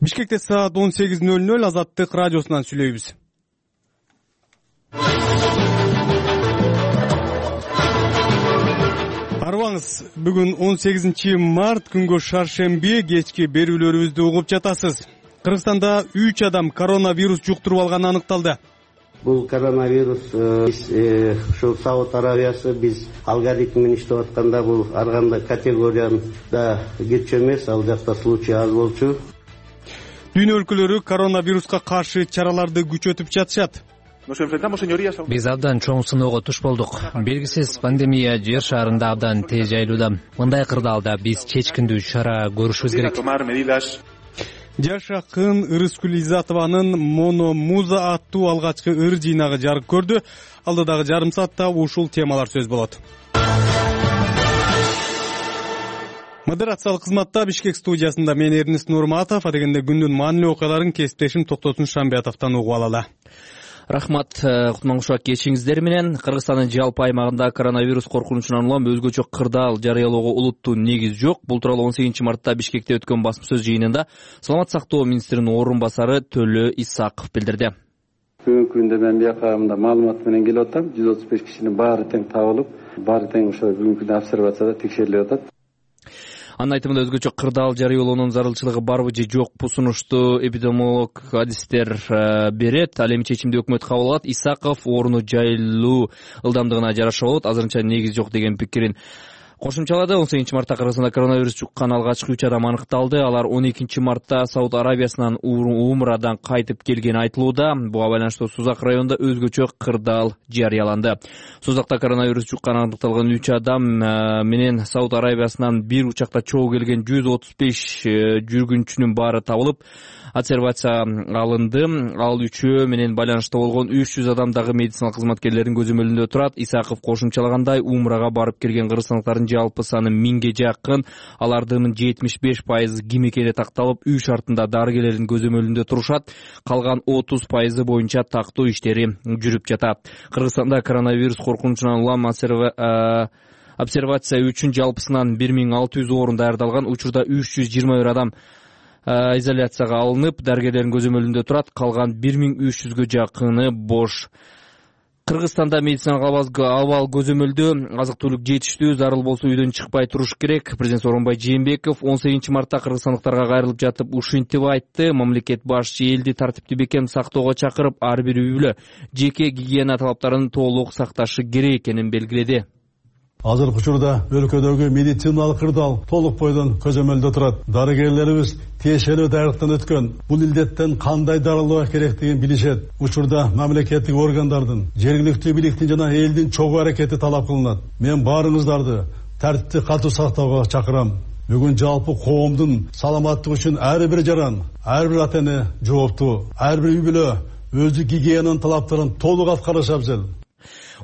Бишкекте саат 18:00 Азаттык радиосунан сүйлөйбүз. Арбаңыз, бүгүн 18 март күнгө шаршемби кечки берүүлөрүбүздү угуп жатасыз. Кыргызстанда 3 адам коронавирус жуктуруп алганы аныкталды. Бул коронавирус ушул Сауд Арабиясы биз алгоритм менен иштеп атканда бул ар кандай категорияда кирчү эмес, ал жакта случай аз болчу. Дүйнө өлкөлөрү коронавируска каршы чараларды күчөтүп жатышат. Биз абдан чоң сыноого туш болдук. Белгисиз пандемия жер шаарында абдан тез жайылууда. Мындай кырдаалда биз чечкиндүү чара көрүшүбүз керек. Жаш акын Ырыскүл Изатованын Мономуза аттуу алгачкы ыр жыйнагы жарык көрдү. Алдыдагы жарым саатта ушул темалар сөз болот. Модерациялык кызматта Бишкек студиясында мен Эрнест Нурматов, адегенде күндүн маанилүү окуяларын кесиптешим Токтосун Шамбиятовдон угуп алалы. Рахмат, кутманкулчулук кечиңиздер менен. Кыргызстандын жалпы аймагында коронавирус коркунучунан улам өзгөчө кырдаал жарыялоого улуттуу негиз жок. Бул тууралуу 18 мартта Бишкекте өткөн басма-сөз жыйынында Саламат сактоо министринин орун басары Төлө Исаков билдирди. Бүгүнкү күндө мен биякагымда маалымат менен келип атам. 135 кишинин баары тең табылып, баары тең ошо бүгүнкү күндө обсервацияда текшерилип атат. Анын айтымында өзгөчө кырдаал жарыялоонун зарылчылыгы барбы же жокпу сунушту эпидемиолог адистер берет. Ал эми чечимди өкмөт кабыл алат. Исаков орууну жайылуу ылдамдыгына жараша болот, азырынча негиз жок деген пикирин кошумчалады. 18 мартта Кыргызстанда коронавирус жуккан алгачкы 3 адам аныкталды. Алар 12 мартта Сауд Арабиясынан Умрадан кайтып келгени айтылууда. Буга байланыштуу Сузак районунда өзгөчө кырдаал жарыяланды. Сузакта коронавирус жуккан аныкталган 3 адам менен Сауд Арабиясынан бир учакта чогуу келген 135 жүргүнчүнүн баары табылып, обсервация алынды. Ал үчөө менен байланышта болгон 300 адам дагы медицина кызматкерлеринин көзөмөлүндө турат. Исаков кошумчалагандай, Умрага барып келген кыргызстандыктардын жалпы саны 1000ге жакын. Алардын 75% ким экени такталып, үй шартында дарыгерлердин көзөмөлүндө турушат. Калган 30% боюнча тактоо иштери жүрүп жатат. Кыргызстанда коронавирус коркунучунан улам обсервация үчүн жалпысынан 1600 орун даярдалган. Учурда 321 адам изоляцияга алынып, дарыгерлердин көзөмөлүндө турат. Калган 1300гө жакыны бош. Кыргызстанда медициналык абал көзөмөлдө, азык-түлүк жетиштүү, зарыл болсо үйдөн чыкпай туруш керек. Президент Сооронбай Жээнбеков 18 мартта кыргызстандыктарга кайрылып жатып ушинтип айтты. Мамлекет башчы элди тартипти бекем сактоого чакырып, ар бир үй бүлө жеке гигиена талаптарын толук сакташы керек экенин белгиледи. Азыркы учурда өлкөдөгү медициналык кырдаал толук бойдон көзөмөлдө турат. Дарыгерлерибиз тиешелүү даярлыктан өткөн. Бул илдеттен кандай дарылоо керектигин билишет. Учурда мамлекеттик органдардын, жергиликтүү бийликтин жана элдин чогуу аракети талап кылынат. Мен баарыңыздарды тартипти катуу сактоого чакырам. Бүгүн жалпы коомдун саламаттыгы үчүн ар бир жаран, ар бир ата-эне жооптуу. Ар бир үй бүлө өзү гигиенанын талаптарын толук аткарышы абзел.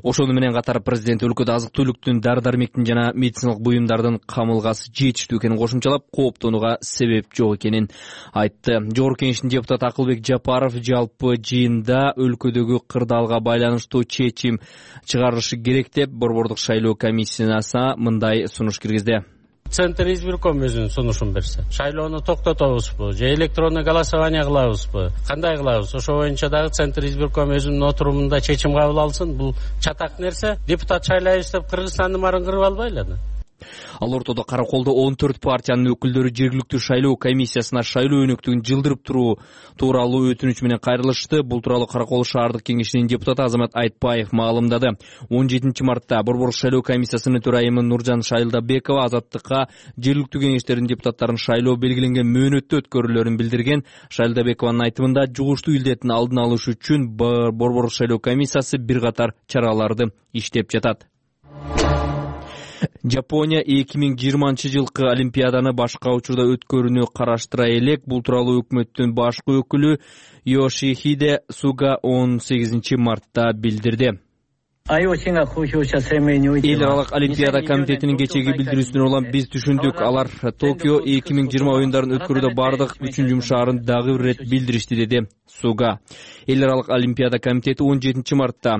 Ошону менен катар президент өлкөдө азык-түлүктүн, дары-дармектин жана медициналык буюмдардын камылгасы жетиштүү экенин кошумчалап, кооптонууга себеп жок экенин айтты. Жогорку Кеңештин депутаты Акылбек Жапаров жалпы жыйында өлкөдөгү кырдаалга байланыштуу чечим чыгарышы керек деп борбордук шайлоо комиссиясына мындай сунуш киргизди. Центр избирком өзүнүн сунушун берсе, шайлоону токтотобузбу же электронный голосование кылабызбы, кандай кылабыз? Ошо боюнча дагы Центр избирком өзүнүн отурумунда чечим кабыл алсын. Бул чатак нерсе. Депутат шайлайбыз деп Кыргызстандын баарын кырып албайлы. Ал ортодо Караколдо 14 партиянын өкүлдөрү жергиликтүү шайлоо комиссиясына шайлоо өнөктүгүн жылдырып туруу тууралуу өтүнүч менен кайрылышты. Бул тууралуу Каракол шаардык кеңешинин депутаты Азамат Айтбаев маалымдады. 17 мартта борбордук шайлоо комиссиясынын төрайымы Нуржан Шайлдабекова Азаттыкка жергиликтүү кеңештердин депутаттарын шайлоо белгиленген мөөнөттө өткөрүүлөрүн билдирген. Шайлдабекованын айтымында, жугуштуу илдеттин алдын алыш үчүн борбордук шайлоо комиссиясы бир катар чараларды иштеп жатат. Жапония 2020 жылкы Олимпиаданы башка учурда өткөрүүнү караштыра элек. Бул тууралуу өкмөттүн башкы өкүлү Йошихиде Суга 18 мартта билдирди. Эл аралык Олимпиада комитетинин кечеги билдирүүсүнөн улам биз түшүндүк. Алар Токио 2020 оюндарын өткөрүүдө бардык үчүн жумшаарын дагы бир ирет билдиришти, деди Суга. Эл аралык Олимпиада комитети 17 мартта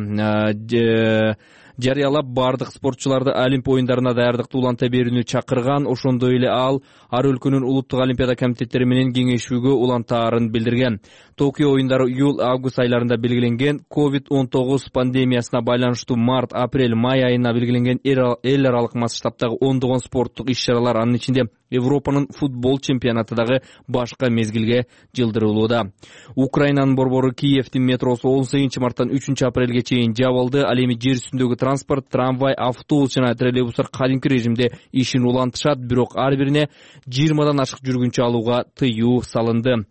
жарыялап бардык спортчуларды Олимп оюндарына даярдыкты уланта берүүнү чакырган. Ошондой эле ал ар өлкөнүн улуттук олимпиада комитеттери менен кеңешүүгө улантаарын билдирген. Токио оюндары июль-август айларында белгиленген. COVID-19 пандемиясына байланыштуу март-апрель-май айына белгиленген эл аралык масштабтагы ондогон спорттук иш-чаралар, анын ичинде Европанын футбол чемпионаты дагы башка мезгилге жылдырылууда. Украинанын борбору Киевдин метросу 18 марттан 3 апрелге чейин жабылды. Ал эми жер үстүндөгү транспорт, трамвай, автобус жана троллейбустар кадимки режимде ишин улантышат, бирок ар бирине 20дан ашык жүргүнчү алууга тыюу салынды.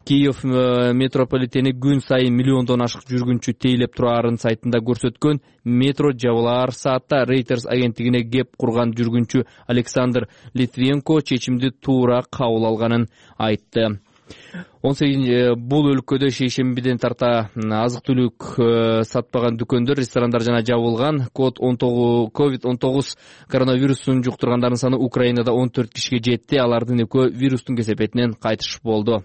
Киев метрополитени күн сайын миллиондон ашык жүргүнчү тейлеп тураарын сайтында көрсөткөн. Метро жабылаар саатта Reuters агенттигине кеп курган жүргүнчү Александр Литвенко чечимди туура кабыл алганын айтты. 18 бул өлкөдө шейшембиден тарта азык-түлүк сатпаган дүкөндөр, ресторандар жана жабылган. COVID-19 коронавирусун жуктургандардын саны Украинада 14 кишиге жетти. Алардын экөө вирустун кесепетинен кайтыш болду.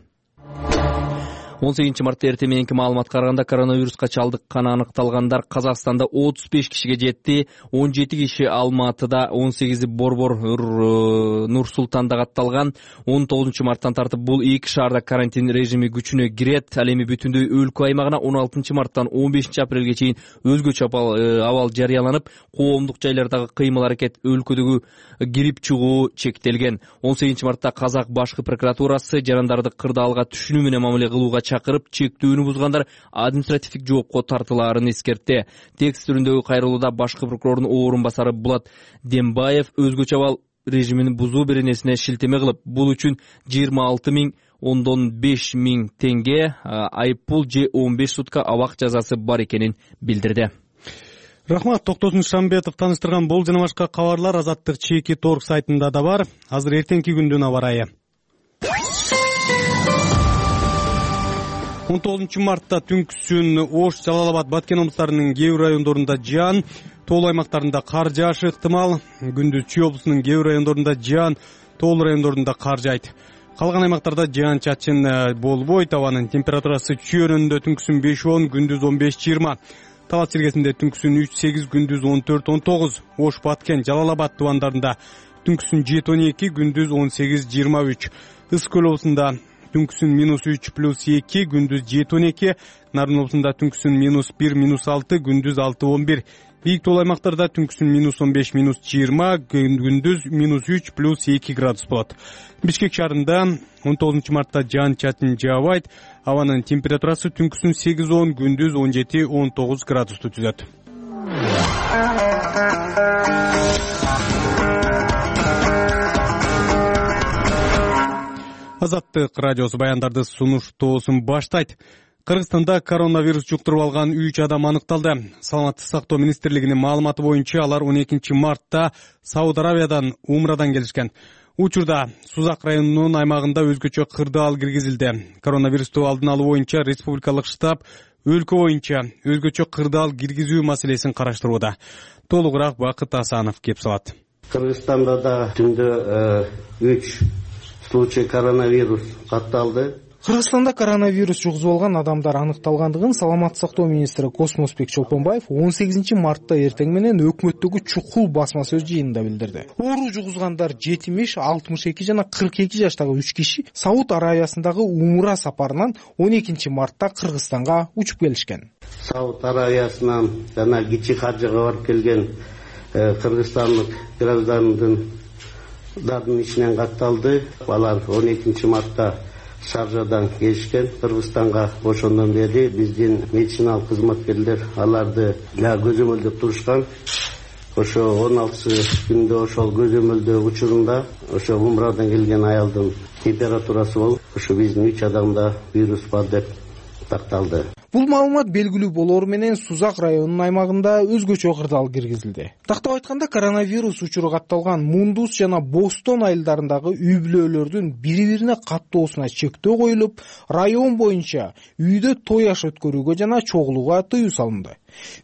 18 мартта эртең мененки маалыматка караганда коронавируска чалдыкканы аныкталгандар Казакстанда 35 кишиге жетти. 17 киши Алматыда, 18 Борбор Нур-Султанда катталган. 19 марттан тартып бул эки шаарда карантин режими күчүнө кирет. Ал эми бүтүндөй өлкө аймагына 16 марттан 15 апрелге чейин өзгөчө абал жарыяланып, коомдук жайлардагы кыймыл-аракет, өлкөдөгү кирип чыгуу чектелген. 18 мартта Казак башкы прокуратурасы жарандарды кырдаалга түшүнүү менен мамиле кылууга чакырып, чектүүнү бузгандар административдик жоопко тартылаарын эскертти. Текст түрүндөгү кайрылууда башкы прокурордун орун басары Булат Дембаев өзгөчө абал режимин бузуу беренесине шилтеме кылып, бул үчүн 26,5 миң теңге айыппул же 15 сутка абак жазасы бар экенин билдирди. Рахмат, Токтосун Шамбетов таныштырган бул жана башка кабарлар Азаттык чеки торг сайтында да бар. Азыр эртеңки күндүн аба ырайы. 19 мартта түнкүсүн Ош, Жалал Абад, Баткен облустарынын кээ бир райондорунда жаан, тоолуу аймактарында кар жаашы ыктымал. Күндүз Чүй облусунун кээ бир райондорунда жаан, тоолуу райондорунда кар жайт. Калган аймактарда жаан-чачын болбойт. Абанын температурасы Чүйөрүндө түнкүсүн 5-10, күндүз 15-20. Талас Сергесинде түнкүсүн 3-8, күндүз 14-19. Ош, Баткен, Жалал Абад тубандарында түнкүсүн 7-12, күндүз 18-23. Ысык көл облусунда түнкүсүн -3+2, күндүз 7-12. Нарын облусунда түнкүсүн -1, -6, күндүз 6-11. Бийик тоолуу аймактарда түнкүсүн -15, -20, күндүз -3+2 градус болот. Бишкек шаарында 19 мартта жаан-чачын жаабайт. Абанын температурасы түнкүсүн 8-10, күндүз 17-19 градусту түзөт. Азаттык радиосу баяндарды сунуштоосун баштайт. Кыргызстанда коронавирус жуктуруп алган 3 адам аныкталды. Саламаттык сактоо министрлигинин маалыматы боюнча алар 12 мартта Сауд Аравиядан умрадан келишкен. Учурда Сузак районунун аймагында өзгөчө кырдаал киргизилди. Коронавирусту алдын алуу боюнча республикалык штаб өлкө боюнча өзгөчө кырдаал киргизүү маселесин караштырууда. Толугураак Бакыт Асанов кеп салат. Кыргызстанда да түндө 3 случай коронавирус катталды. Кыргызстанда коронавирус жугузуп алган адамдар аныкталгандыгын саламаттык сактоо министри Космосбек Чолпонбаев 18 мартта эртең менен өкмөттөгү чукул басма сөз жыйынында билдирди. Оору жугузгандар 70, 62 жана 42 жаштагы 3 киши Сауд Аравиясындагы умра сапарынан 12 мартта Кыргызстанга учуп келишкен. Сауд Аравиясынан жана кичи каржыга барып келген кыргызстандык граждандын ичинен катталды. Алар 12 мартта Шаржадан келишкен. Кыргызстанга ошондон бери биздин медициналык кызматкерлер аларды көзөмөлдөп турушкан. Ошо 16 күндө ошол көзөмөлдөө учурунда ошо умрадан келген аялдын температурасы болуп, ошо биздин 3 адамда вирус бар деп такталды. Бул маалымат белгилүү болору менен Сузак районунун аймагында өзгөчө кырдаал киргизилди. Тактап айтканда, коронавирус учуру катталган Мундус жана Бостон айылдарындагы үй-бүлөлөрдүн бири-бирине каттоосуна чектөө коюлуп, район боюнча үйдө той аш өткөрүүгө жана чогулууга тыюу салынды.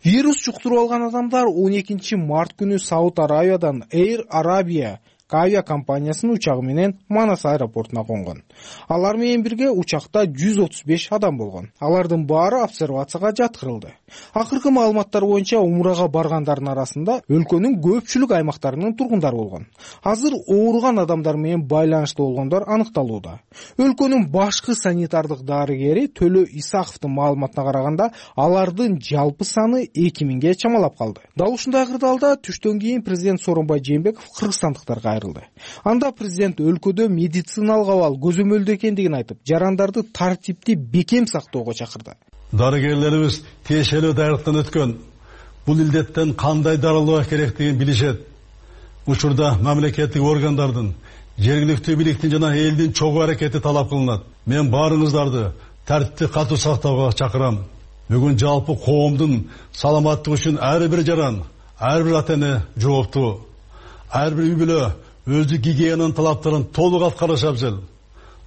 Вирус жуктуруп алган адамдар 12 март күнү Сауд Аравиядан Air Arabia авиакомпаниясынын учагы менен Манас аэропортуна конгон. Алар менен бирге учакта 135 адам болгон. Алардын баары обсервацияга жаткырылды. Акыркы маалыматтар боюнча умрага баргандардын арасында өлкөнүн көпчүлүк аймактарынын тургундары болгон. Азыр ооруган адамдар менен байланыштуу болгондор аныкталууда. Өлкөнүн башкы санитардык дарыгери Төлө Исаковдун маалыматына караганда, алардын жалпы саны 2000ге чамалап калды. Дал ушундай кырдаалда түштөн кийин президент Сооронбай Жээнбеков кыргызстандыктарга айрылды. Анда президент өлкөдө медициналык абал көзөмөлдө экендигин айтып, жарандарды тартипти бекем сактоого чакырды. Дарыгерлерибиз тиешелүү дайрыктан өткөн. Бул илдеттен кандай дарылоо керектигин билишет. Учурда мамлекеттик органдардын, жергиликтүү бийликтин жана элдин чогуу аракети талап кылынат. Мен баарыңыздарды тартипти катуу сактоого чакырам. Бүгүн жалпы коомдун саламаттыгы үчүн ар бир жаран, ар бир ата-эне жооптуу. Ар бир үй бүлө өздүк гигиенанын талаптарын толук аткарышы абзел.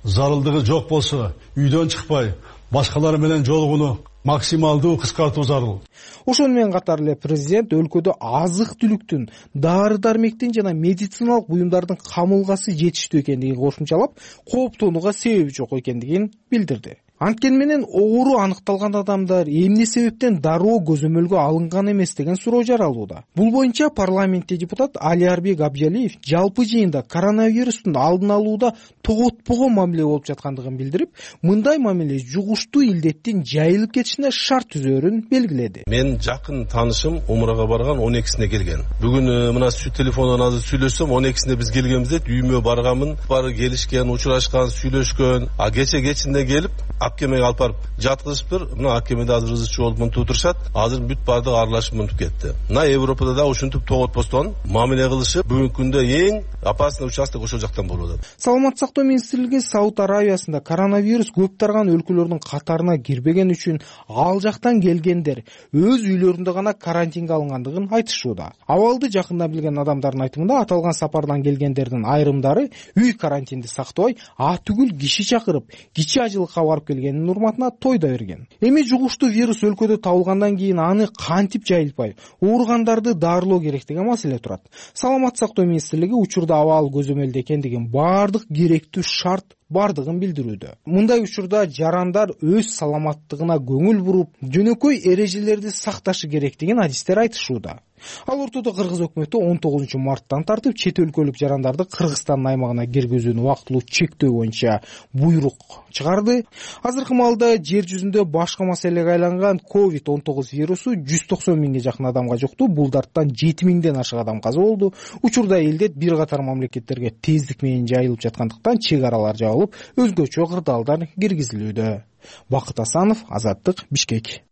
Зарылдыгы жок болсо, үйдөн чыкпай, башкалар менен жолугууну максималдуу кыскартуу зарыл. Ошону менен катар эле президент өлкөдө азык-түлүктүн, дары-дармектин жана медициналык буюмдардын камылгасы жетиштүү экендигин кошумчалап, кооптонууга себеби жок экендигин билдирди. Анткени менен оору аныкталган адамдар эмне себептен дароо көзөмөлгө алынган эмес деген суроо жаралууда. Бул боюнча парламентте депутат Алиарбек Абжалиев жалпы жыйында коронавирустун алдын алууда тоготпогон мамиле болуп жаткандыгын билдирип, мындай мамиле жугуштуу илдеттин жайылып кетишине шарт түзөөрүн белгиледи. Мен жакын таанышым умрага барган 12-сине келген. Бүгүн мына телефондон азыр сүйлөшсөм 12-сине биз келгенбиз дейт. Үйүмө барганмын, бары келишкен, учурашкан, сүйлөшкөн. Кечинде келип Аккемеге алып барып жаткызыптыр. Мына Аккемеде азыр ызычы болуп мынтип турушат. Азыр бүт баардыгы аралашып мынтип кетти. Мына Европада да ушинтип тоготпостон мамиле кылышып, бүгүнкү күндө эң опасный участок ошол жактан болуп атат. Саламаттык сактоо министрлиги Сауд Арабиясында коронавирус көп тарган өлкөлөрдүн катарына кирбеген үчүн ал жактан келгендер өз үйлөрүндө гана карантинге алынгандыгын айтышууда. Абалды жакында билген адамдардын айтымында аталган сапардан келгендердин айрымдары үй карантинди сактабай, түгүл киши чакырып, кичи ажылыкка барып келгенин урматына тойда берген. Эми жугуштуу вирус өлкөдө табылгандан кийин аны кантип жайылтпай, ооругандарды дарылоо керек деген маселе турат. Саламаттык сактоо министрлиги учурда абал көзөмөлдө экендигин, баардык керектүү шарт бардыгын билдирүүдө. Мындай учурда жарандар өз саламаттыгына көңүл буруп, жөнөкөй эрежелерди сакташы керектигин адистер айтышууда. Ал ортодо Кыргыз өкмөтү 19 марттан тартып чет өлкөлүк жарандарды Кыргызстандын аймагына киргизүүнү убактылуу чектөө боюнча буйрук чыгарды. Азыркы маалда жер жүзүндө башка маселеге айланган COVID-19 вирусу 190 миңге жакын адамга жукту. Бул дарттан 7 миңден ашык адам каза болду. Учурда элдет бир катар мамлекеттерге тездик менен жайылып жаткандыктан чек аралар жабылып, өзгөчө кырдаалдар киргизилүүдө. Бакыт Асанов, Азаттык, Бишкек.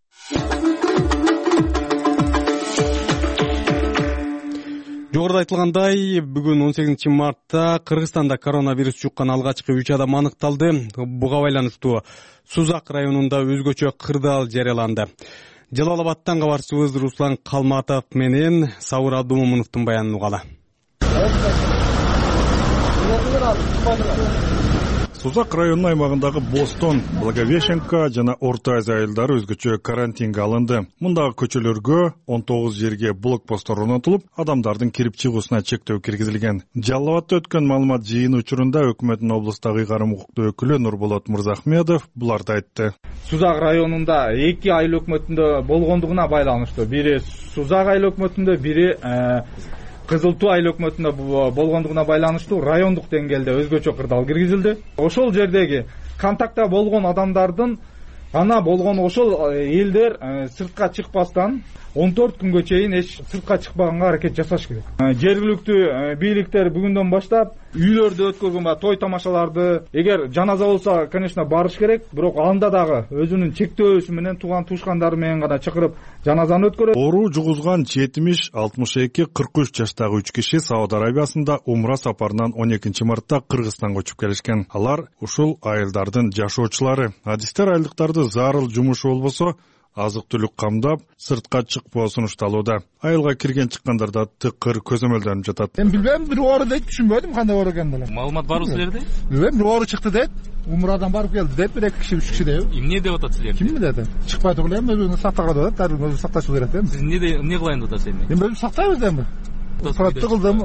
Жогоруда айтылгандай, бүгүн 18 мартта Кыргызстанда коронавирус жуккан алгачкы 3 адам аныкталды. Буга байланыштуу Сузак районунда өзгөчө кырдаал жарыяланды. Жалал Абадтан кабарчыбыз Руслан Калматов менен Сабыр Абдумомуновдун баянын угалы. Сузак районунун аймагындагы Бостон, Благовещенка жана Орто Азия айылдары өзгөчө карантинге алынды. Мундагы көчөлөргө 19 жерге блокпосттор орнотулуп, адамдардын кирип чыгуусуна чектөө киргизилген. Жалал Абадта өткөн маалымат жыйыны учурунда өкмөттүн облустагы ыйгарым укуктуу өкүлү Нурболот Мырзахмедов буларды айтты. Сузак районунда 2 айыл өкмөтүндө болгондугуна байланыштуу. Бири Сузак айыл өкмөтүндө, бири Кызыл Туу айыл өкмөтүндө болгондугуна байланыштуу райондук деңгээлде өзгөчө кырдаал киргизилди. Ошол жердеги контактта болгон адамдардын гана болгон ошол элдер сыртка чыкпастан 14 күнгө чейин эч сыртка чыкпаганга аракет жасаш керек. Жергиликтүү бийликтер бүгүндөн баштап үйлөрдө өткөргөн той тамашаларды, эгер жаназа болсо, конечно, барыш керек, бирок анда дагы өзүнүн чектөөсү менен тууган туушкандары менен гана чакырып жаназаны өткөрөт. Оору жугузган 70, 62, 43 жаштагы 3 киши Сауд Арабиясында умра сапарынан 12 мартта Кыргызстанга көчүп келишкен. Алар ушул айылдардын жашоочулары. Адистер айылдыктарды зарыл жумушу болбосо азык-түлүк камдап, сыртка чыкпоо сунушталууда. Айылга кирген чыккандарда тыкыр көзөмөлдөнүп жатат. Мен билбейм, бир оору дейт, түшүнбөдүм кандай оору экенин деле. Маалымат барбы силерде? Билбейм, бир оору чыкты дейт. Умрадан барып келди дейт, 1-2 киши, 3 киши дейт. Эмне деп атат силерди? Ким билет? Чыкпай турган эми өзүн сактаган деп атат, өзүн сакташы керек эми. Сиз эмне кылайын деп атасыз эми? Мен өзүм сактайбыз эми. Протокол кылдым,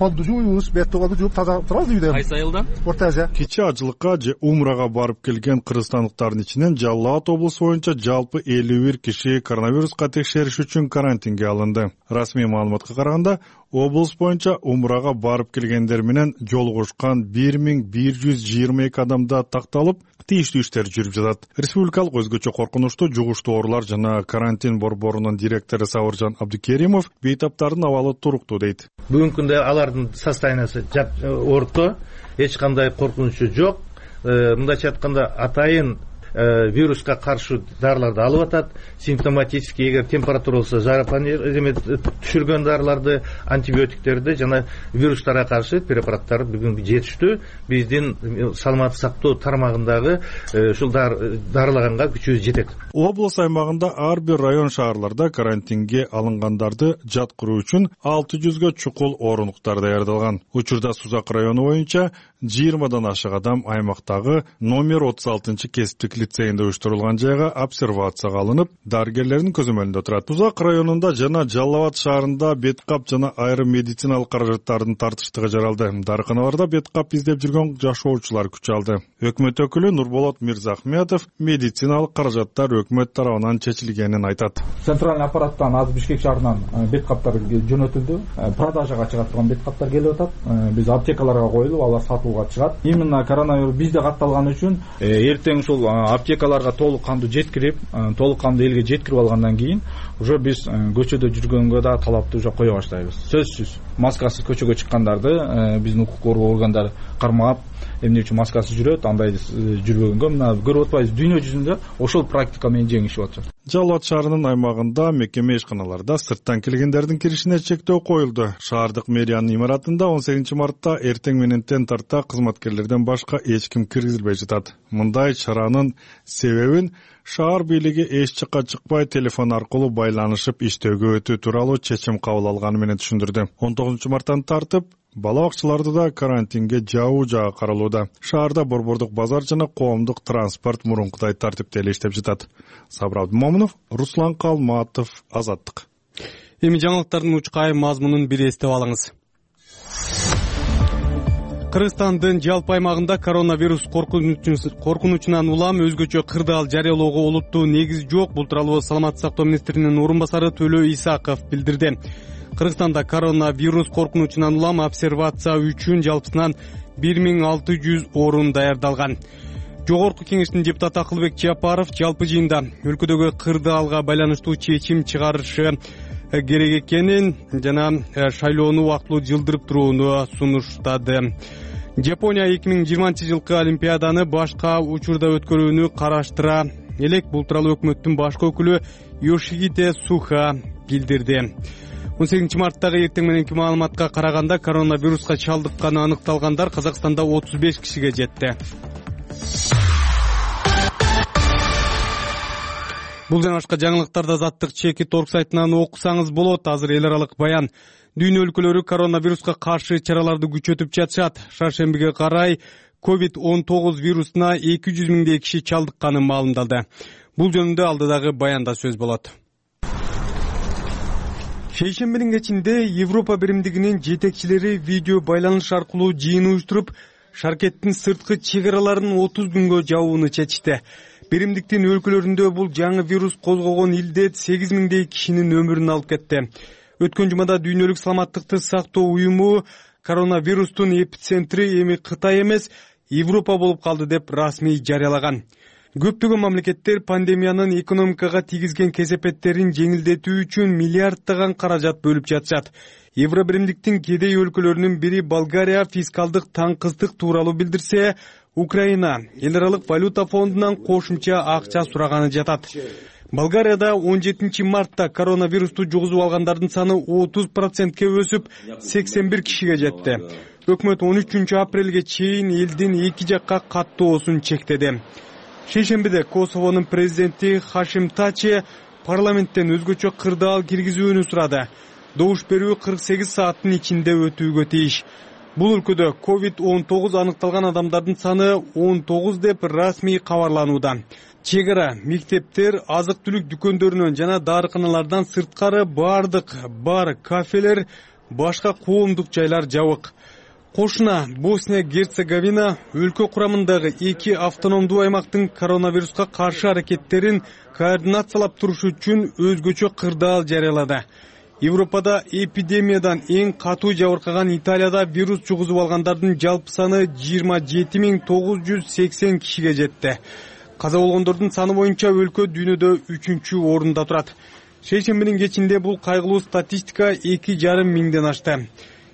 колду жууйбуз, бетти колду жууп таза турабыз үйдө. Кайсы айылдан? Орто Азия. Кичи ажылыкка же умрага барып келген кыргызстандыктардын ичинен Жалал Абад облусу боюнча жалпы 51 киши коронавируска текшериш үчүн карантинге алынды. Расмий маалыматка караганда, облус боюнча умрага барып келгендер менен жолугушкан 1122 адамда такталып, тийиштүү иштер жүрүп жатат. Республикалык өзгөчө коркунучтуу жугуштуу оорулар жана карантин борборунун директору Сабыржан Абдыкеримов бейтаптардын абалы туруктуу дейт. Бүгүнкү күндө алардын состояниясы орто, эч кандай коркунучу жок. Мындайча айтканда атайын вируска каршы дарыларды алып атат. Симптоматический, эгер температура болсо, түшүргөн дарыларды, антибиотиктерди жана вирустарга каршы препараттар бүгүн жетиштүү. Биздин саламаттык сактоо тармагындагы ушул дарылаганга күчүбүз жетет. Облус аймагында ар бир район шаарларда карантинге алынгандарды жаткыруу үчүн 600гө чукул орунуктар даярдалган. Учурда Сузак району боюнча 20дан ашык адам аймактагы номер 36-кесиптик лицейинде уюштурулган жайга обсервацияга алынып, дарыгерлердин көзөмөлүндө турат. Сузак районунда жана Жалал Абад шаарында беткап жана айрым медициналык каражаттардын тартыштыгы жаралды. Дарыканаларда беткап издеп жүргөн жашоочулар күч алды. Өкмөт өкүлү Нурболот Мирзахметов медициналык каражаттар өкмөт тарабынан чечилгенин айтат. Центральный аппараттан азыр Бишкек шаарынан беткаптар жөнөтүлдү. Продажага чыгат турган беткаптар келип атат. Биз аптекаларга коюлуп, алар сатууга чыгат. Именно коронавирус бизде катталган үчүн эртең ушул аптекаларга толук кандуу жеткирип, толук кандуу элге жеткирип алгандан кийин уже биз көчөдө жүргөнгө да талапты уже кое баштайбыз. Сөзсүз маскасыз көчөгө чыккандарды биздин укук коргоо органдары кармап, эмне үчүн маскасыз жүрөт, андай жүрбөгөнгө мына көрүп атпайбыз, дүйнө жүзүндө ошол практика менен жеңишип атышат. Жалал Абад шаарынын аймагында мекеме ишканаларда сырттан келгендердин киришине чектөө коюлду. Шаардык мэриянын имаратында 18 мартта эртең менен тен тарта кызматкерлерден башка эч ким киргизилбей жатат. Мындай чаранын себебин шаар бийлиги эч жакка чыкпай телефон аркылуу байланышып иштөөгө өтүү тууралуу чечим кабыл алганы менен түшүндүрдү. 19 марттан тартып бала бакчаларда да карантинге жабуу жагы каралууда. Шаарда борбордук базар жана коомдук транспорт мурункудай тартипте эле иштеп жатат. Сабыр Абдымомунов, Руслан Калматов, Азаттык. Эми жаңылыктардын учкай мазмунун бир эстеп алыңыз. Кыргызстандын жалпы аймагында коронавирус коркунучунан улам өзгөчө кырдаал жарыялоого олуттуу негиз жок. Бул тууралуу саламаттык сактоо министринин орун басары Төлө Исаков билдирди. Кыргызстанда коронавирус коркунучунан улам обсервация үчүн жалпысынан 1600 орун даярдалган. Жогорку кеңештин депутаты Акылбек Жапаров жалпы жыйында өлкөдөгү кырдаалга байланыштуу чечим чыгарышы керек экенин жана шайлоону убактылуу жылдырып турууну сунуштады. Жапония 2020-жылкы Олимпиаданы башка учурда өткөрүүнү караштыра элек. Бул тууралуу өкмөттүн башкы өкүлү Йошихиде Суха билдирди. 18 марттагы эртең мененки маалыматка караганда коронавируска чалдыкканы аныкталгандар Казакстанда 35 кишиге жетти. Бул жана башка жаңылыктарды Азаттык чекит орг сайтынан окусаңыз болот. Азыр эл аралык баян. Дүйнө өлкөлөрү коронавируска каршы чараларды күчөтүп жатышат. Шаршембиге карай COVID-19 вирусуна 200 миңдей киши чалдыкканы маалымдалды. Бул жөнүндө алдыдагы баянда сөз болот. Шейшембинин кечинде Европа биримдигинин жетекчилери видео байланыш аркылуу жыйын уюштуруп, шаркеттин сырткы чек араларын 30 күнгө жабууну чечти. Биримдиктин өлкөлөрүндө бул жаңы вирус козгогон илдет 8 миңдей кишинин өмүрүн алып кетти. Өткөн жумада Дүйнөлүк саламаттыкты сактоо уюму коронавирустун эпицентри эми Кытай эмес, Европа болуп калды деп расмий жарыялаган. Көптөгөн мамлекеттер пандемиянын экономикага тийгизген кесепеттерин жеңилдетүү үчүн миллиарддаган каражат бөлүп жатышат. Евробиримдиктин кедей өлкөлөрүнүн бири Болгария фискалдык таңкыстык тууралуу билдирсе, Украина эл аралык валюта фондунан кошумча акча сураганы жатат. Болгарияда 17 мартта коронавирусту жугузуп алгандардын саны 30%ке өсүп, 81 кишиге жетти. Өкмөт 13 апрелге чейин элдин эки жакка каттоосун чектеди. Шейшембиде Косовонун президенти Хашим Тачи парламенттен өзгөчө кырдаал киргизүүнү сурады. Добуш берүү 48 сааттын ичинде өтүүгө тийиш. Бул өлкөдө COVID-19 аныкталган адамдардын саны 19 деп расмий кабарланууда. Чек ара, мектептер, азык-түлүк дүкөндөрүнөн жана дарыканалардан сырткары бардык бар кафелер башка коомдук жайлар жабык. Кошуна Босния Герцеговина өлкө курамындагы 2 автономдуу аймактын коронавируска каршы аракеттерин координациялап туруш үчүн өзгөчө кырдаал жарыялады. Европада эпидемиядан эң катуу жабыркаган Италияда вирус жугузуп алгандардын жалпы саны 27980 кишиге жетти. Каза болгондордун саны боюнча өлкө дүйнөдө 3-орунда турат. Шейшембинин кечинде бул кайгылуу статистика 2,5 миңден ашты.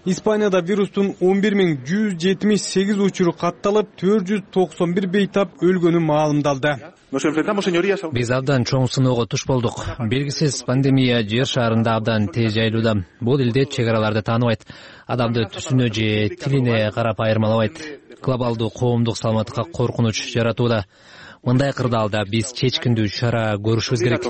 Испанияда вирустун 11178 учуру катталып, 491 бейтап өлгөнү маалымдалды. Биз абдан чоң сыноого туш болдук. Белгисиз пандемия жер шаарында абдан тез жайылууда. Бул илдет чек араларды тааныбайт, адамды түсүнө же тилине карап айырмалабайт. Глобалдуу коомдук саламаттыкка коркунуч жаратууда. Мындай кырдаалда биз чечкиндүү чара көрүшүбүз керек,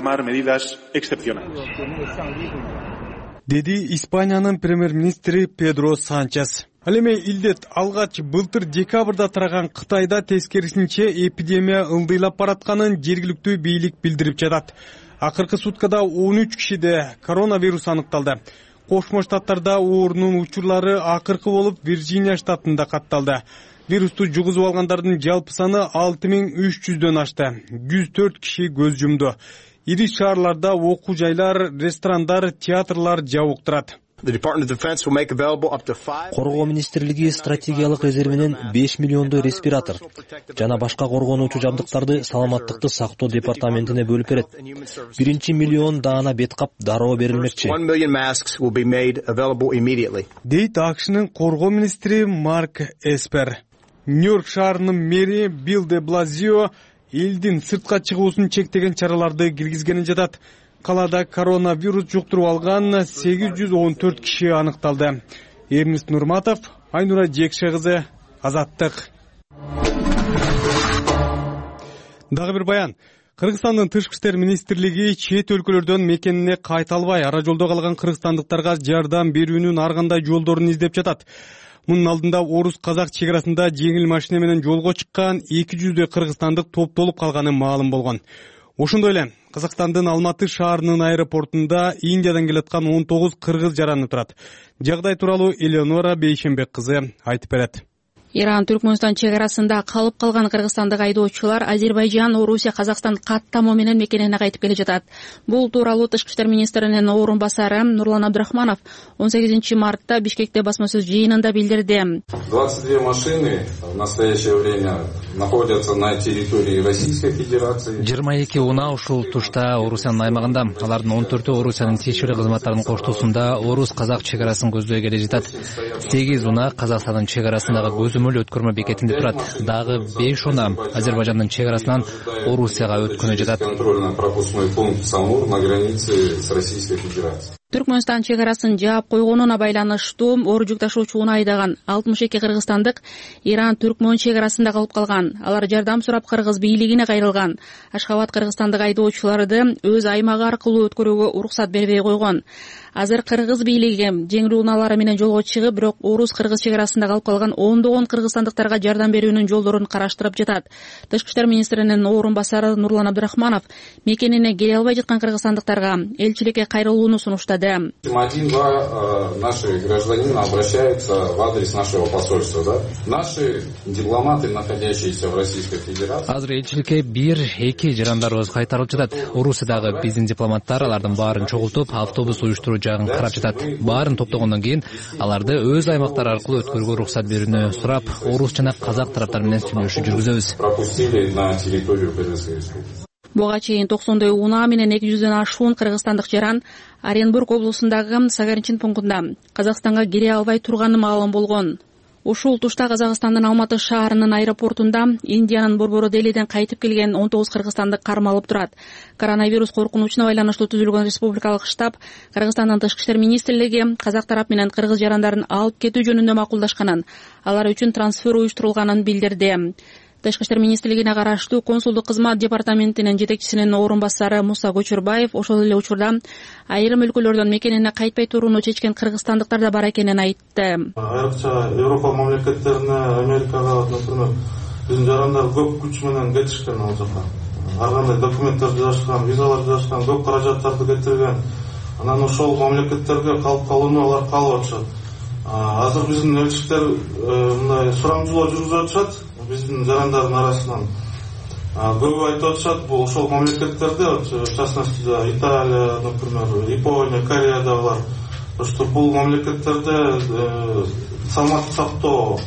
деди Испаниянын премьер-министри Педро Санчес. Ал эми илдет алгач былтыр декабрда тараган Кытайда тескерисинче эпидемия ылдыйлап баратканын жергиликтүү бийлик билдирип жатат. Акыркы суткада 13 кишиде коронавирус аныкталды. Кошмо Штаттарда оорунун учурлары акыркы болуп Вирджиния штатында катталды. Вирусту жугузуп алгандардын жалпы саны 6300дөн ашты. 104 киши көз жумду. Ири шаарларда окуу жайлар, ресторандар, театрлар жабык турат. Коргоо министрлиги стратегиялык резервинен 5 миллиондой респиратор жана башка коргонуучу жабдыктарды саламаттыкты сактоо департаментине бөлүп берет. 1 миллион даана бет кап дароо берилмекчи, дейт АКШнын коргоо министри Марк Эспер. Нью-Йорк шаарынын мэри Билл де Блазио элдин сыртка чыгуусун чектеген чараларды киргизгенин жатат. Калада коронавирус жуктуруп алган 814 киши аныкталды. Эрнест Нурматов, Айнура Жекше кызы, Азаттык. Дагы бир баян. Кыргызстандын тышкы иштер министрлиги чет өлкөлөрдөн мекенине кайта албай ара жолдо калган кыргызстандыктарга жардам берүүнүн ар кандай жолдорун издеп жатат. Мунун алдында орус-казак чек арасында жеңил машина менен жолго чыккан 200 кыргызстандык топтолуп калганы маалым болгон. Ошондой эле Казакстандын Алматы шаарынын аэропортунда Индиядан келаткан 19 кыргыз жараны турат. Жагдай тууралуу Элеонора Бейшембек кызы айтып берет. Иран-Түркмөнстан чек арасында калып калган кыргызстандык айдоочулар Азербайжан, Орусия, Казакстан каттамоо менен мекенине кайтып келе жатат. Бул тууралуу Тышкы иштер министринин орун басары Нурлан Абдрахманов 18 мартта Бишкекте басма сөз жыйынында билдирди. 22 машины в настоящее время находятся на территории Российской Федерации. 22 унаа ушул тушта Орусиянын аймагында, алардын 14-өө Орусиянын тиешелүү кызматтарынын коштоосунда орус-казак чек арасын көздөй келе жатат. 8 унаа Казакстандын чек арасындагы көзөмөл өткөрмө бекетинде турат. Дагы 5 унаа Азербайжандын чек арасынан Орусияга өткөнү жатат. Контрольно-пропускной пункт Самур на границе с Российской Федерацией. Түркмөнстан чек арасын жаап койгонуна байланыштуу оор жүк ташуучу унаа айдаган 62 кыргызстандык Иран-Түркмөн чек арасында калып калган. Алар жардам сурап кыргыз бийлигине кайрылган. Ашхабад кыргызстандык айдоочуларды өз аймагы аркылуу өткөрүүгө уруксат бербей койгон. Азыр кыргыз бийлиги жеңил унаалары менен жолго чыгып, бирок орус-кыргыз чек арасында калып калган ондогон кыргызстандыктарга жардам берүүнүн жолдорун караштырып жатат. Тышкы иштер министринин орун басары Нурлан Абдрахманов мекенине келе албай жаткан кыргызстандыктарга элчиликке кайрылууну сунуштады. 1-2 наши гражданина обращаются в адрес нашего посольства, Наши дипломаты, находящиеся в Российской Федерации. Азыр элчиликке 1-2 жарандарыбыз кайтарылып жатат. Орусиядагы биздин дипломаттар алардын баарын чогултуп, автобус уюштуруу жагын карап жатат. Баарын топтогондон кийин аларды өз аймактары аркылуу өткөрүүгө уруксат берүүнү сурап, орус жана казак тараптары менен сүйлөшүү жүргүзөбүз. Пропустили на территорию Кыргызской Республики. Буга чейин 90 унаа менен 200дөн ашуун кыргызстандык жаран Оренбург облусундагы Сагарчин пунктунда Казакстанга кире албай турганы маалым болгон. Ушул тушта Казакстандын Алматы шаарынын аэропортунда Индиянын борбору Делиден кайтып келген 19 кыргызстандык кармалып турат. Коронавирус коркунучуна байланыштуу түзүлгөн республикалык штаб Кыргызстандын тышкы иштер министрлиги казак тарап менен кыргыз жарандарын алып кетүү жөнүндө макулдашканын, алар үчүн трансфер уюштурулганын билдирди. Тышкы иштер министрлигине караштуу консулдук кызмат департаментинин жетекчисинин орун басары Муса Көчөрбаев ошол эле учурда айрым өлкөлөрдөн мекенине кайтпай турууну чечкен кыргызстандыктар да бар экенин айтты. Айрыкча Европа мамлекеттерине, Америкага, например, биздин жарандар көп күч менен кетишкен ал жака. Ар кандай документтер жазышкан, визалар жазышкан, көп каражаттарды кетирген. анан ошол мамлекеттерге калып калууну алар каалап атышат. Азыр биздин элчиликтер мындай сураңжылоо жүргүзүп атышат биздин жарандардын арасынан. Көбү айтып атышат, бул ошол мамлекеттерде, в частности, Италия, например, Япония, Кореядагылар, что бул мамлекеттерде саламаттык сактоо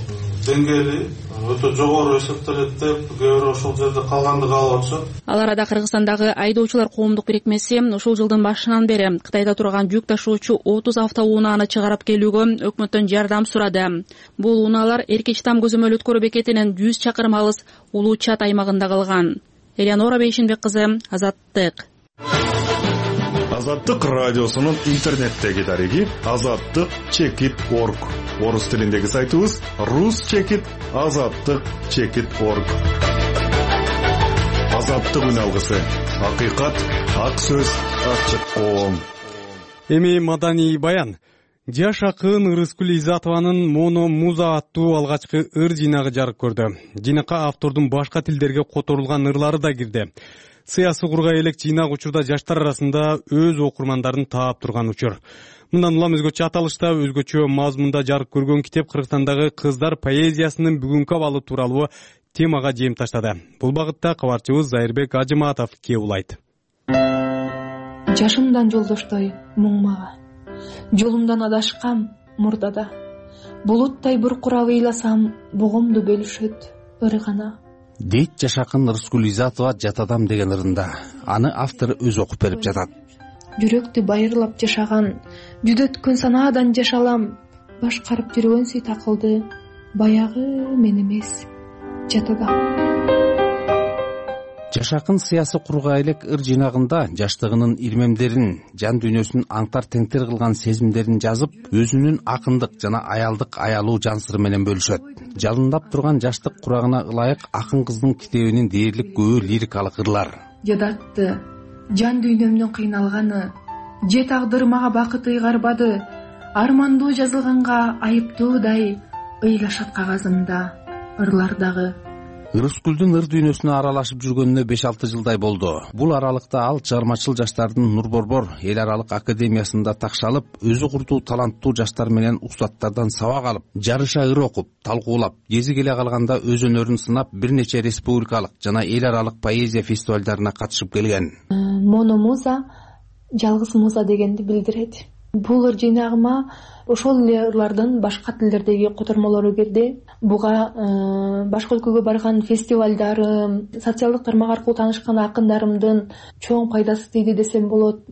деңгээли өтө жогору эсептелет деп, кээ бирөө ошол жерде калганды каалап атышат. Ал арада Кыргызстандагы айдоочулар коомдук бирикмеси ушул жылдын башынан бери Кытайда турган жүк ташуучу 30 автоунааны чыгарып келүүгө өкмөттөн жардам сурады. Бул унаалар Эркечтам көзөмөл өткөрүү бекетинен 100 чакырым алыс Улуу Чат аймагында калган. Элеонора Бейшинбек кызы, Азаттык. Азаттык радиосунун интернеттеги дареги azattik.org. Орус тилиндеги сайтыбыз rus.azattik.org. Азаттык үн алгысы. Акыйкат, ак сөз, ачык коом. Эми маданий баян. Жаш акын Ырыскүл Изатованын Моно Муза аттуу алгачкы ыр жыйнагы жарык көрдү. Жыйнакка автордун башка тилдерге которулган ырлары да кирди. Сыясы кургай элек жыйнак учурда жаштар арасында өз окурмандарын таап турган учур. Мындан улам өзгөчө аталышта, өзгөчө мазмунда жарык көргөн китеп Кыргызстандагы кыздар поэзиясынын бүгүнкү абалы тууралуу темага жем таштады. Бул багытта кабарчыбыз Зайырбек Ажыматов кээ улайт. Жашымдан жолдоштой муң мага, жолумдан адашкам мурдада. Булуттай буркурап ыйласам, бугумду бөлүшөт ыры гана. Дейт жаш акын Ырыскүл Изатова Жатадам деген ырында. Аны автор өз окуп берип жатат. Жүрөктү байырлап жашаган, жүдөткөн санаадан жашалам, башкарып жүргөн сый такылды, баягы мен эмес, жатадам. Жаш акын сыясы кургай элек ыр жыйнагында жаштыгынын ирмемдерин, жан дүйнөсүн аңтар теңтер кылган сезимдерин жазып, өзүнүн акындык жана аялдык аялуу жан сыры менен бөлүшөт. Жалындап турган жаштык курагына ылайык акын кыздын китебинин дээрлик көбү лирикалык ырлар. Жадатты жан дүйнөмдүн кыйналганы, же тагдыр мага бакыт ыйгарбады, армандуу жазылганга айыптуудай ыйлашат кагазымда ырлардагы. Ырыскүлдүн ыр дүйнөсүнө аралашып жүргөнүнө 5-6 жылдай болду. Бул аралыкта ал чыгармачыл жаштардын Нур Борбор эл аралык академиясында такшалып, өзү курдуу таланттуу жаштар менен устаттардан сабак алып, жарыша ыр окуп, талкуулап, кези келе калганда өз өнөрүн сынап, бир нече республикалык жана эл аралык поэзия фестивалдарына катышып келген. Моно Муза жалгыз муза дегенди билдирет. Бул ыр жыйнагыма ошол эле ырлардын башка тилдердеги котормолору кирди. Буга башка өлкөгө барган фестивалдарым, социалдык тармак аркылуу таанышкан акындарымдын чоң пайдасы тийди десем болот.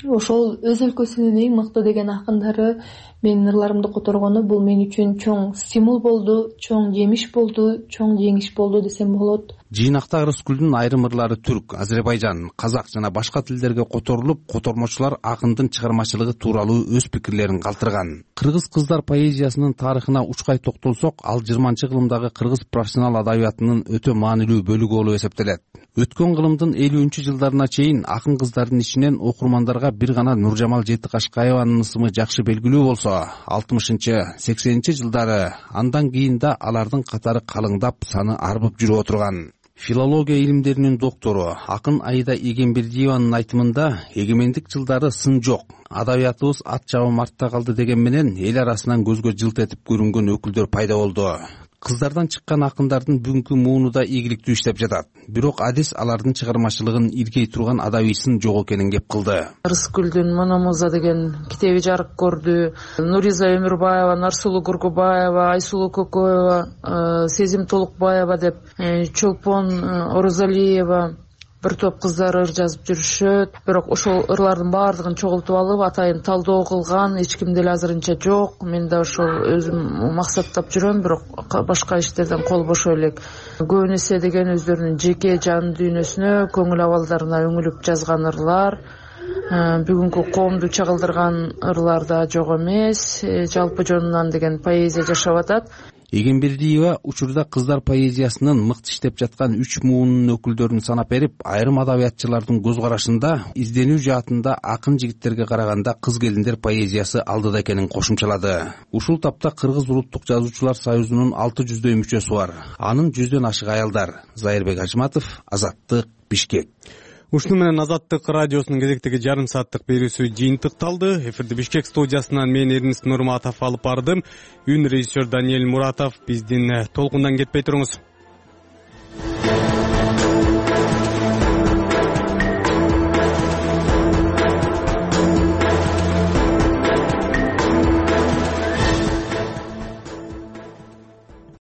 Ошол өз өлкөсүнүн эң мыкты деген акындары менин ырларымды которгону бул мен үчүн чоң стимул болду, чоң жемиш болду, чоң жеңиш болду десем болот. Жыйнакта Ырыскүлдүн айрым ырлары түрк, Азербайжан, казак жана башка тилдерге которулуп, котормочулар акындын чыгармачылыгы тууралуу өз пикирлерин калтырган. Кыргыз кыздар поэзиясынын тарыхына учкай токтолсок, ал 20-кылымдагы кыргыз профессионал адабиятынын өтө маанилүү бөлүгү болуп эсептелет. Өткөн кылымдын 50-жылдарына чейин акын кыздардын ичинен окурмандарга бир гана Нуржамал Жетикашкаеванын ысымы жакшы белгилүү болсо, 60-80 жылдары андан кийин да алардын катары калыңдап, саны арбып жүрүп отурган. Филология илимдеринин доктору акын Аида Эгембердиеванын айтымында эгемендик жылдары сын жок, адабиятыбыз ат жабым артта калды деген менен эл арасынан көзгө жылт этип көрүнгөн өкүлдөр пайда болду. Кыздардан чыккан акындардын бүгүнкү мууну да ийгиликтүү иштеп жатат. Бирок адис алардын чыгармачылыгын иргей турган адабийсын жок экенин кеп кылды. Ырыскүлдүн Моно Муза деген китеби жарык көрдү. Нуриза Өмүрбаева, Нарсулуу Гургубаева, Айсулуу Көкөева, Сезим Толукбаева деп, Чолпон Орозалиева бир топ кыздар ыр жазып жүрүшөт. Бирок ошол ырлардын баардыгын чогултуп алып, атайын талдоо кылган эч ким деле азырынча жок. Мен да ошол өзүм максаттап жүрөм, бирок башка иштерден кол бошо элек. Көбүн эсе деген өздөрүнүн жеке жан дүйнөсүнө, көңүл абалдарына өңүлүп жазган ырлар. Бүгүнкү коомду чагылдырган ырлар да жок эмес. Жалпы жонунан деген поэзия жашап атат. Эгембердиева учурда кыздар поэзиясынын мыкты иштеп жаткан 3 муунун өкүлдөрүн санап берип, айрым адабиятчылардын көз карашында изденүү жаатында акын жигиттерге караганда кыз келиндер поэзиясы алдыда экенин кошумчалады. Ушул тапта Кыргыз улуттук жазуучулар союзунун 600дөй мүчөсү бар. Анын 100дөн ашык аялдар. Зайырбек Ажыматов, Азаттык, Бишкек. Ушуну менен Азаттык радиосунун кезектеги жарым сааттык берүүсү жыйынтыкталды. Эфирди Бишкек студиясынан мен Эрнис Нурматов алып бардым. Үн режиссер Даниэль Муратов. Биздин толкундан кетпей туруңуз.